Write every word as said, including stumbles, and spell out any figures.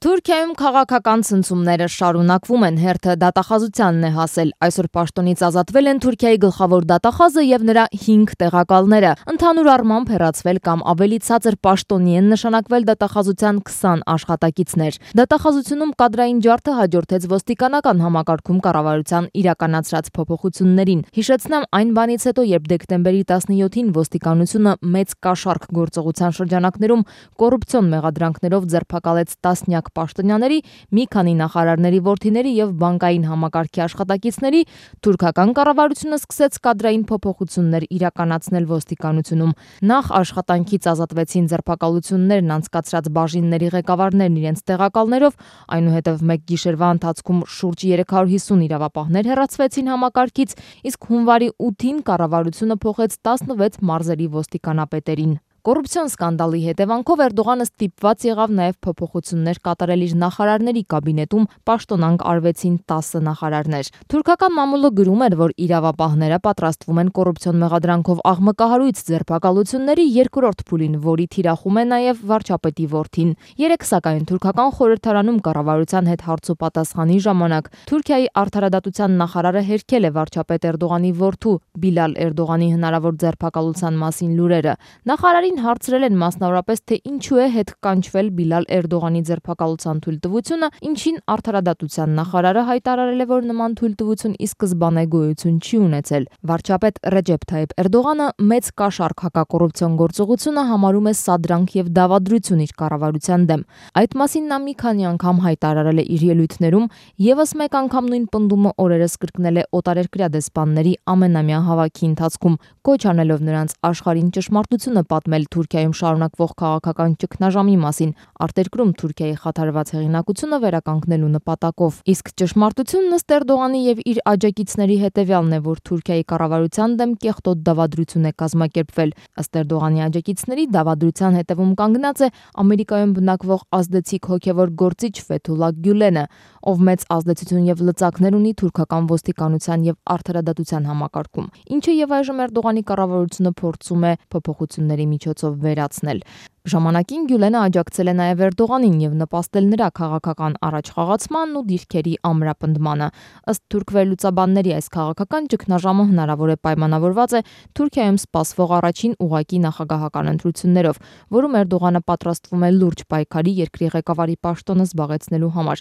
Թուրքիայում քաղաքական ցնցումները շարունակվում են, հերթը դատախազությանն է հասել։ Այսօր պաշտոնից ազատվել են Թուրքիայի գլխավոր դատախազը եւ նրա հինգ տեղակալները։ Ընդհանուր առմամբ հեռացվել կամ ավելի ցածր պաշտոնի են նշանակվել դատախազության քսան աշխատակիցներ։ Դատախազությունում կադրային ջարդը հաջորդեց ոստիկանական համակարգում կառավարության իրականացրած փոփոխություններին։ Հիշեցնեմ այն բանից հետո, երբ դեկտեմբերի տասնյոթին ոստիկանությունը մեծ կաշառք գործողության շրջանակներում կոռուպցիոն մեղադրանքներով ձերբակալեց տասնյակ պաշտոնյաների, մի քանի նախարարների որդիների եւ բանկային համակարգի աշխատակիցների, թուրքական կառավարությունը սկսեց կադրային փոփոխություններ իրականացնել ոստիկանությունում։ Նախ աշխատանքից ազատվեցին ձերբակալություններն անցկացրած բաժինների ղեկավարներն իրենց տեղակալներով, այնուհետև մեկ գիշերվա ընթացքում շուրջ երեք հարյուր հիսուն իրավապահներ հեռացվեցին համակարգից, իսկ հունվարի ութին կառավարությունը փոխեց տասնվեց մարզերի ոստիկանապետերին։ Կոռուպցիոն սկանդալի հետևանքով Էրդողանը ստիպված եղավ նաև փոփոխություններ կատարել իր նախարարների կաբինետում, պաշտոնանկ արվեցին տասը նախարարներ։ Թուրքական մամուլը գրում էր, որ իրավապահները պատրաստվում են կոռուպցիոն մեղադրանքով աղմկահարույց ձերբակալությունների երկրորդ փուլին, որի թիրախում է նաև վարչապետի որդին։ Երեկ սակայն թուրքական խորհրդարանում կառավարության հետ հարցոպատասխանի ժամանակ Թուրքիայի արդարադատության նախարարը հերքել է վարչապետ Էրդողանի որդու Բիլալ Էրդողանի հնարավոր ձերբակալության մասին լուրերը։ Նախարարին հարցրել են մասնավորապես, թե ինչու է հետ կանչվել Բիլալ Էրդողանի ձերբակալության թույլտվությունը, ինչին արդարադատության նախարարը հայտարարել է, որ նման թույլտվություն ի սկզբանե գոյություն չի ունեցել։ Վարչապետ Ռեջեփ Թայիփ Էրդողանը մեծ կաշառք հակակոռուպցիոն գործողությունը համարում է սադրանք եւ դավադրություն իր կառավարության դեմ։ Այդ մասին նա մի քանի անգամ հայտարարել է իր ելույթներում, եւս մեկ անգամ նույն պնդումը օրերս կրկնել է օտարերկրյա դեսպանների ամենամյա հավաքի ընթացքում, կոչ անելով նրանց աշխարհին ճշմարտությունը պատմել Թուրքիայում շարունակվող քաղաքական ճգնաժամի մասին, արտերկրում Թուրքիայի խաթարված հեղինակությունը վերականգնելու նպատակով։ Իսկ ճշմարտությունն ըստ Էրդողանի եւ իր աջակիցների հետեւյալն է, որ Թուրքիայի կառավարության դեմ կեղտոտ դավադրություն է կազմակերպվել։ Ըստ Էրդողանի աջակիցների դավադրության հետևում կանգնած է Ամերիկայում բնակվող ազդեցիկ հոգևոր գործիչ Ֆեթուլա Գյուլենը, ով մեծ ազդեցություն եւ լծակներ ունի թուրքական ոստիկանության եւ արդարադատության համակարգում, ինչը եւ այժմ Էրդողանի կառավարությունը փորձում է փոփոխությունների միջոցով վերացնել։ Ժամանակին Գյուլենը աջակցել է նաև Էրդողանին եւ նպաստել նրա քաղաքական առաջխաղացմանն ու դիրքերի ամրապնդմանը։ Ըստ թուրք վերլուծաբանների, այս քաղաքական ճգնաժամը հնարավոր է պայմանավորված է Թուրքիայում սպասվող առաջին ուղղակի նախագահական ընտրություններով, որում Էրդողանը պատրաստվում է լուրջ պայքարի երկրի ղեկավարի պաշտոնը զբաղեցնելու համար։